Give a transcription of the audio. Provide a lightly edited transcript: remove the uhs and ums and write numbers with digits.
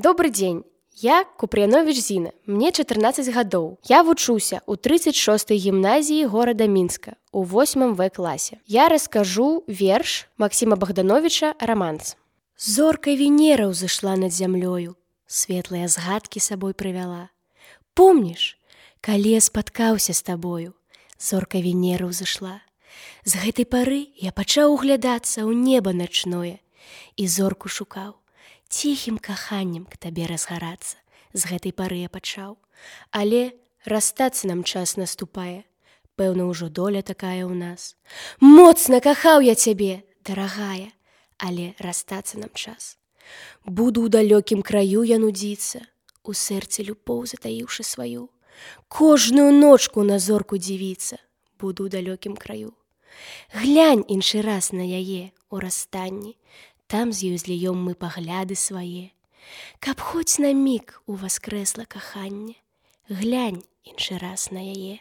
Добрый дзень. Я Купряновіч Зіна, мне 14 гадоў. Я вучуся ў 36-й гімназіі горада Мінска у 8 В класе. Я раскажу верш Максіма Богдановича «Романс». Зорка Венера ўзышла над зямлёю, светлыя згадкі сабой прывяла. Помніш, калі я спаткаўся з табою, зорка Венера ўзышла. З гэтай пары я пачаў углядацца ў неба начное і зорку шукаў. Ціхім каханнем к табе разгарацца, з гэтай пары я пачаў. Але расстацца нам час наступае, пэўна ўжо доля такая ў нас. Моцна кахаў я цябе, дарагая, але расстацца нам час. Буду ў далёкім краю я нудзіцца, у сэрцы любоў затаіўшы сваю. Кожную ночку на зорку дзівіцца, буду ў далёкім краю. Глянь іншы раз на яе ў расстанні, там з ёй зліём мы пагляды свае. Каб хоць на міг уваскрэсла каханне, глянь іншы раз на яе.